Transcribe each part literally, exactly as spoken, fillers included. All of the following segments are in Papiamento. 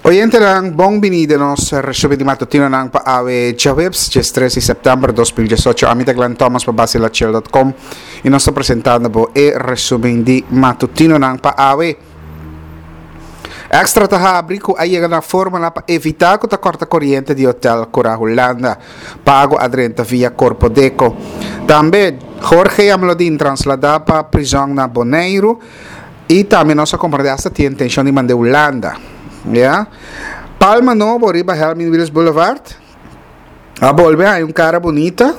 Oyentenan, bon bini den nos resumen di matutinonan pa awe djaweps, diestres di sèptèmber dos mil diesocho. Ami ta Glenn Thomas pa Basilachel dot com i nos ta presentando bo e resumen di matutinonan pa awe. Extra ta habri ku a yega na fórmula pa evitá ku ta kòrta koriente di hotel Cura Hulanda. Pago a drenta via Korpodeko. Tambe Jorge Jamlodin trasladá pa prizòn na Boneiru i tambe nos a komprendé asta tin intenshon di mand'é Hulanda. Ya. Palma nobo riba Helmin Wiels Boulevard a bolbe haña un kara bunita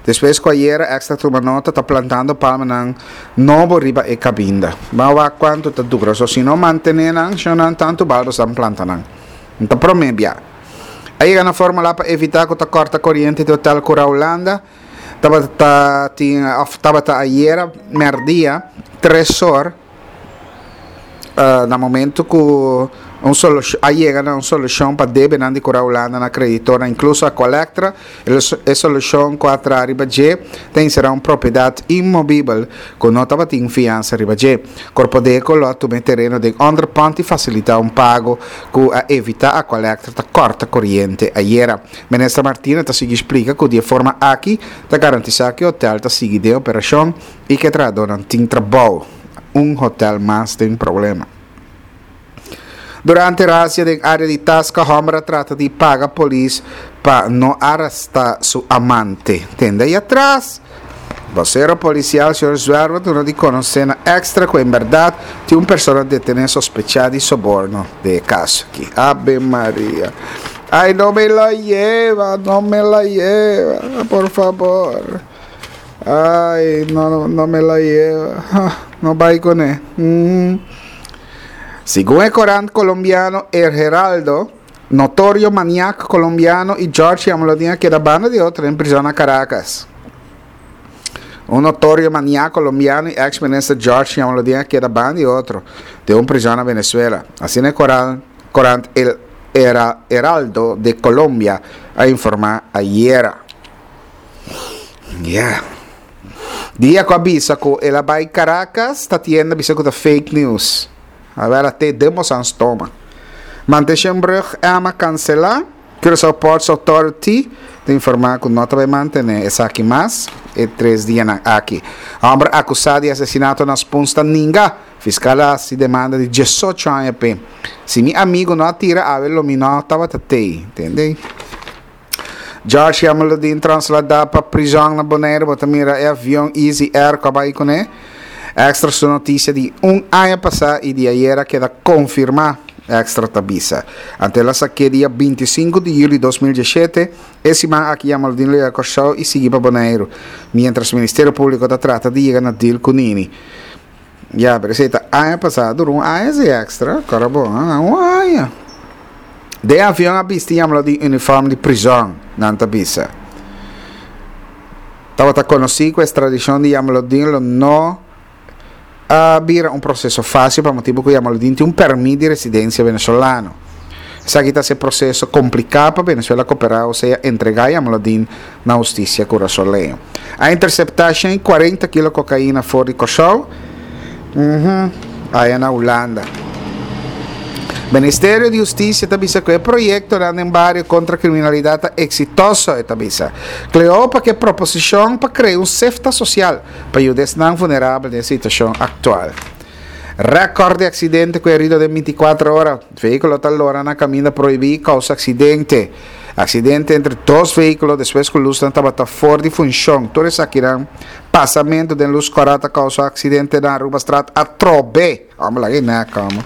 despues ku ayera Extra tuma nota ta plantando palmanan nobo riba e kabinda. Ban wak kuantu ta dura. So si no mantené nan, shonnan tantu bal boso planta nan. N ta promé bia. A yega na fórmula pa evitá ku ta kòrta koriente di Hotel Cura Hulanda. Tabata tin òf tabata ayera mèrdia tres or na momento ku un solushon a yega na un solushon pa debenan di Cura Hulanda na kreditornan inkluso Aqualectra. E solushon ku a traha riba dje ta enserá un propiedat inmovibel ku no tabatin fiansa riba dje. Korpodeko lo a tuma e tereno den onderpand i fasilitá un pago ku a evitá Aqualectra ta kòrta koriente ayera. Minister Martina ta sigui splika ku di e forma aki ta garantisá ku e hotèl ta sigui den operashon i ku e trahadónan tin trabou. Un hotèl mas den problema. Durante razzia den área di Tasca hòmber a trata di paga polis pa no arestá su amante. Tende ei atras. Bosero polisial señor Zwerver duna di konosé na Extra ku en bèrdat tin un persona detené sospechá di soborno den e kaso aki. Ave Maria. Ay no me la lleva, no me la lleva, por favor. Ay, no, no me la lleva. No bai kuné. Mm. Segun e korant kolombiano El Heraldo, notorio maniak kolombiano i George Jamolodin a keda banda di otro den prizòn na Caracas. Un notorio maniak kolombiano i eks minister George Jamolodin a keda banda di otro den un prizòn na Venezuela. Asina e korant El Heraldo de Colombia a informá ayera. Ya. Dia ku a bisa ku el a bai Caracas, ta tienda bisa ku ta fake news. A ber a te den boso an stoma. Manteshenbrug Emma kanselá. Curaçao Ports Authority ta informá ku no ta bai mantené esaki mas e tres dianan aki. Hòmber akusá di asesinato na Spuns ta ninga. Fiskal a hasi demanda di diesocho aña p'e. Si mi amigu no a tira awe lo mi no tabata tei. Tende? George Jamaloodin trasladá pa prizòn na Boneiru. Bo ta mira e avion Easy Air ku a bai kuné. Extra su notisia di un aña pasá i di ayera keda konfirmá, Extra ta bisa. Ante el a sak'é dia binti i sinku di yüli dos mil diesshete, e siman aki Jamaloodin lo yega Kòrsou i sigui pa Boneiru, miéntras Ministerio Públiko ta trata di yega na deal ku Nini. Ya, pero esei ta aña pasá, dura un aña esei Extra, kòrda bo, un aña. Den avion a bisti Jamaloodin uniform di prizòn, nan ta bisa. Tabata konosí ku ekstradishon di Jamaloodin lo no a bira un proseso fásil pa motibu ku Jamaloodin tin un pèrmit di residensia venezolano. Esaki ta hasi e proseso kompliká pa Venezuela koperá osea entregá Jamaloodin na hustisia kurasoleño. A interseptá shen i kuarenta kilo kokaina for di Kòrsou aya na Hulanda. Ministerio di Hustisia ta bisa ku e proyektonan den bario kontra kriminalidat ta eksitoso, e ta bisa. Cleopa ke proposishon pa krea un sefta sosial pa yuda esnan vunerabel den e situashon aktual. Rèkòrt di aksidente ku herido den bintikuater ora, Vehíkulo ta lora na kaminda prohibí i kousa aksidente. Aksidente entre dos vehíkulo despues ku lusnan tabata for di funshon. Tur esakinan pasamentu den lus kòrá ta kousa aksidente na Arubastraat atrobe. Amo laga e nek amo.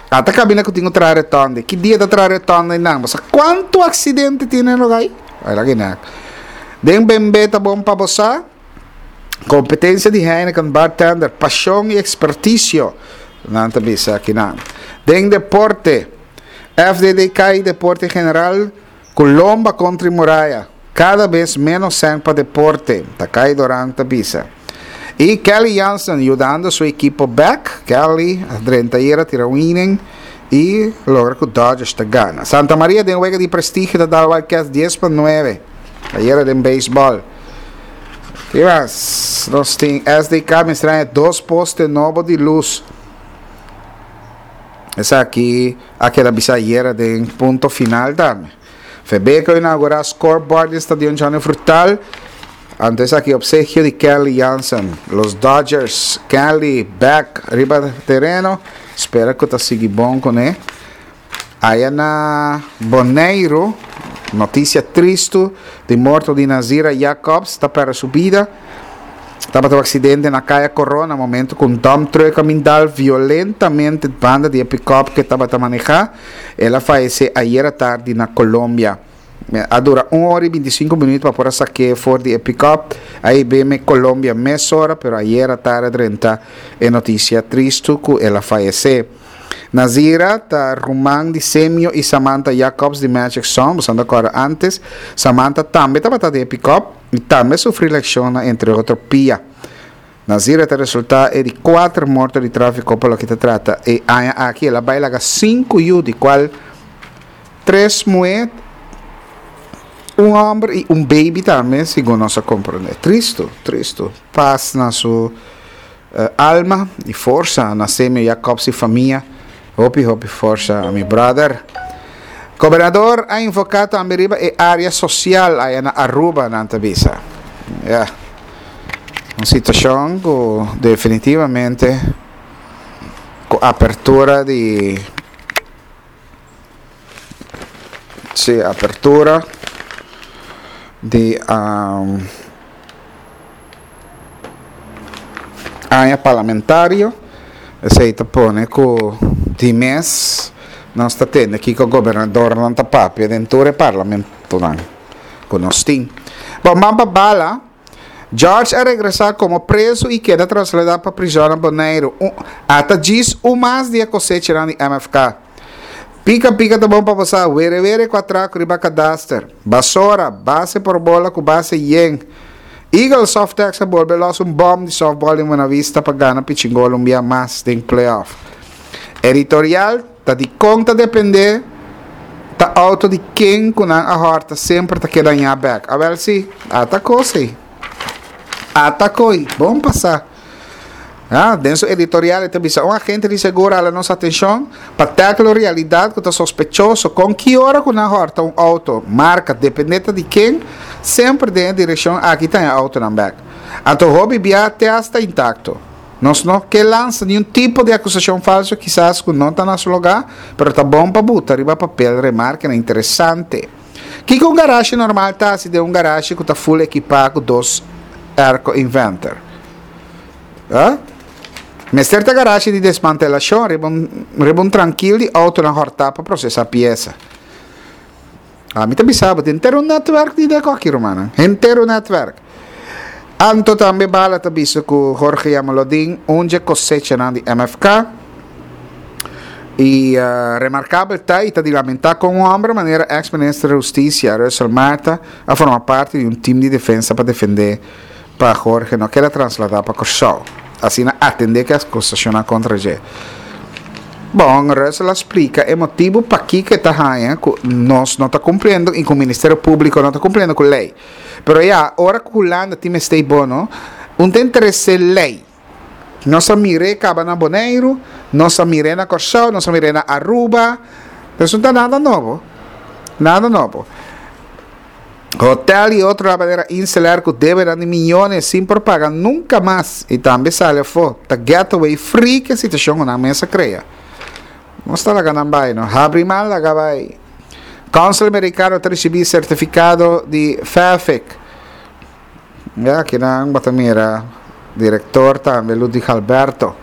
Ata kabina ku tin ku traha retonde. Ki dia ta traha retonde einan? Bo sa kuantu aksidente tin den lugá ei? Ai laga e nek. Den bembe ta bon pa bo sa. Kompetensia di Heineken bartender, pashon i ekspertisio, nan ta bisa akinan. Den deporte, F D D K i deporte en general ku lomba kontra i muraya. Kada bes ménos sèn pa deporte, Takai Doran ta bisa. I Kelly Jansen yudando su ekipo bèk. Kelly a drenta ayera tira un inning i logra ku Dodgers ta gana. Santa Maria den wega di prestigio ta dal Wildcats dies pa nuebe ayera den beisbòl. Ki mas? Nos tin S D K mester haña dos poste nobo di lus. Esaki a keda bisa ayera den Punto Final tambe. Febeko a inaugurá scoreboard di Stadion Johnny Frutal. Anto esaki opsekio di Kenley Jansen. Los Dodgers, Kenley back riba tereno. Spera ku ta sigui bon kuné. Aya na Boneiru, notisia tristu di morto di Nazira Jacobs ta pèrdè su bida. Tabata un aksidente na Kaya Korona momento ku un dump truck a bin dal violentamente banda di e pick-up ku e tabata manehá. El a fayesé ayera tardi na Colombia. A dura un ora i binti sinku minuut pa por a sak'é for di e pick-up. A hib'é Colombia mesora, pero ayera tardi a drenta e notisia tristu ku el a fayesé. Nazira ta ruman di Semio i Samantha Jacobs di Magic Song, boso anda kòrda antes. Samantha tambe tabata den e pick-up i tambe a sufri leshon na entre otro pia. Nazira ta resultá e di kuater morto di tráfiko pa loke ta trata e aña aki. El a bai laga sinku yu di kual tres muhé, un hòmber i un baby tambe, segun nos a komprondé. Tristu, tristu. Pas na su alma i forsa na Semio Jacobs i famia. Hopi hopi forsa mi brother. Gobernador a enfoca tambe riba e area social aya na Aruba nan ta bisa. Ya. Un situacion cu definitivamente cu apertura di si apertura di um, Aña parlamentario, esei ta pone ku di mes nos ta tende kiko gobernadornan ta papia den tur e parlamentonan ku nos tin. Bon, ban pa bala. George a regresá komo prezu i keda trasladá pa prizòn na Boneiru. Un, ata djis un mas di e kosechanan di M F K. Pika pika ta bon pa bo sa, were were ku atrako riba kadaster. Basora, base por bola ku base yen. Eagle Softex a bolbe los un bom di softball den Buena Vista pa gana Pichingolo un bia mas den playoff. Editorial, Ta dikon ta depende ta auto di ken ku nan a hòrta semper ta keda ña bèk? Awèl si, ata kos ei. Ata koi, bon pasá. Ah, den su editorial e ta bisa, Un agente di seguro a hala nos atencion pa tackle un realidad cu ta sospechoso, con ki ora cu nan horta un auto, marca, depende ta di ken, semper den e direccion aki ta e autonan bek. Anto hopi bia te hasta intacto. Nos no ke lansa niun tipo di acusacion falso kisas cu no ta na su lugar, pero ta bon pa buta riba papel remarkenan interesante. Kiko un garashi normal ta haci den un garashi cu ta full ekipa cu dos airco inverter? Huh? Mester ta garashi di desmantelashon riba un riba un trankil di outonan hòrtá pa prosesá piesa. Ami ta bisa bo, tin henter un netwerk di deko aki, rumannan. Henter un netwerk. Anto tambe Bala ta bisa ku Jorge Jamaloodin un dje kosechanan di M F K. I remarkabel ta i ta di lamentá kon un hòmber manera eks minister di Hustisia, Russel Martha, a forma parti di un tim di defensa pa defendé pa Jorge no keda trasladá pa Kòrsou. Asina atendé ku e akusashonnan kontra dje. Bon, Russel a splika e motibu pakiko e ta haña ku nos no ta kumpliendo i ku Ministerio Públiko no ta kumpliendo ku lei. Pero ya, ora ku Hulanda tin mester bono, un ta interes'é lei. Nos a mir'é kaba na Boneiru, nos a mir'é na Kòrsou, nos a mir'é na Aruba. Pues no ta nada nobo. Nada nobo. Hotel y otro manera Inselair cu debenan di miyones sin por paga nunca mas y tambe sali afo ta getaway free cu e situacion cu nan mes a crea. Nos ta laga nan bay no. Habri mal laga bay. Council Americano ta ricibi certificado di Fafic. Ya akinan bo ta mira director tambe Ludwig Alberto.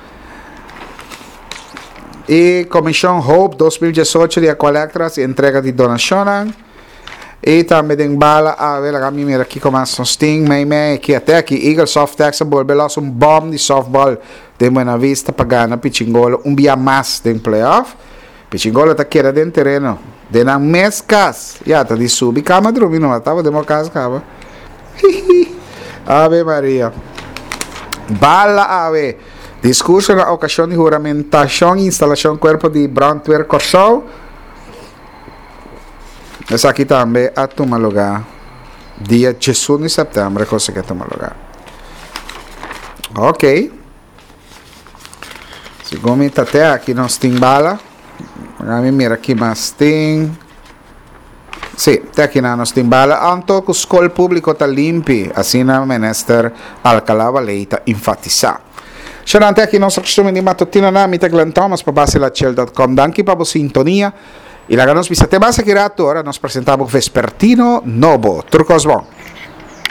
Y Comision Hope dos mil diesocho di Aqualectra haci entrega di donacionnan. Y tambe den bala awe laga mi mira kico mas nos tin mei mei aki ate aki Eagle Softex a bolbe los un bom di softball den Buena Vista pa gana Pichingolo un bia mas den playoff. Pichingolo ta keda den tereno den nan mes cas. Ya ta di subi cama drumi no tabata den bo cas caba. Hihi. Ave Maria. Bala awe. Discurso na ocasion di huramentacion y instalacion cuerpo di brandweer Corsou. Esaki tambe a tuma lugar dia diesun di september cosa que a tuma lugar. Ok. Segun mi tate aki nos tin bala. Ami mira ki mas tin. Si, te aki na nos tin bala anto ku skol públiko ta limpi, asina minister Alcalá-Wallé ta enfatisá. Xerante aki nos kustumber di matutino na mi ta Glenn Thomas pa basilachel punto com. Danki pa bo sintonia. I laga nos bisa te mas aki rato, ora nos presentá vespertino nobo. Tur kos bon.